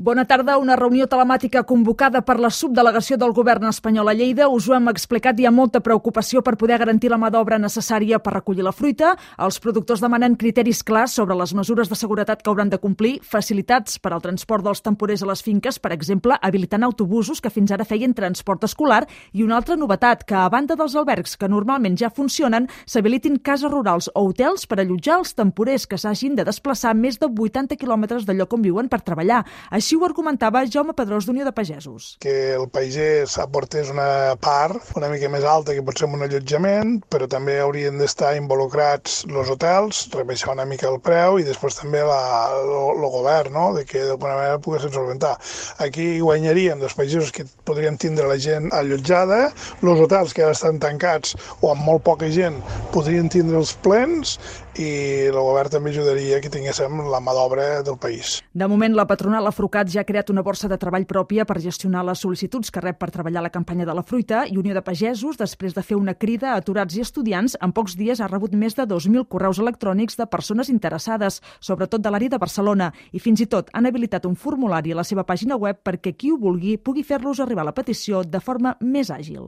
Bona tarda. Una reunió telemàtica convocada per la subdelegació del govern espanyol a Lleida. Us ho hem explicat, hi ha molta preocupació per poder garantir la mà d'obra necessària per recollir la fruita. Els productors demanen criteris clars sobre les mesures de seguretat que hauran de complir, facilitats per al transport dels temporers a les finques, per exemple, habilitant autobusos que fins ara feien transport escolar, i una altra novetat, que a banda dels albergs que normalment ja funcionen, s'habilitin cases rurals o hotels per allotjar els temporers que s'hagin de desplaçar més de 80 quilòmetres del lloc on viuen per treballar. Així ho argumentava Jaume Pedrós d'Unió de Pagesos. Que el pagès aportés una part una mica més alta que pot ser un allotjament, però també haurien d'estar involucrats els hotels, rebaixar una mica el preu i després també el govern, no? De que d'alguna manera poguessin solventar. Aquí guanyarien els pagesos que podrien tindre la gent allotjada, els hotels que ara estan tancats o amb molt poca gent podrien tindre els plens i el govern també ajudaria que tinguéssim la mà d'obra del país. De moment, la patronal Afrucat ja ha creat una borsa de treball pròpia per gestionar les sol·licituds que rep per treballar a la campanya de la fruita, i Unió de Pagesos, després de fer una crida a aturats i estudiants, en pocs dies ha rebut més de 2.000 correus electrònics de persones interessades, sobretot de l'àrea de Barcelona, i fins i tot han habilitat un formulari a la seva pàgina web perquè qui ho vulgui pugui fer-los arribar la petició de forma més àgil.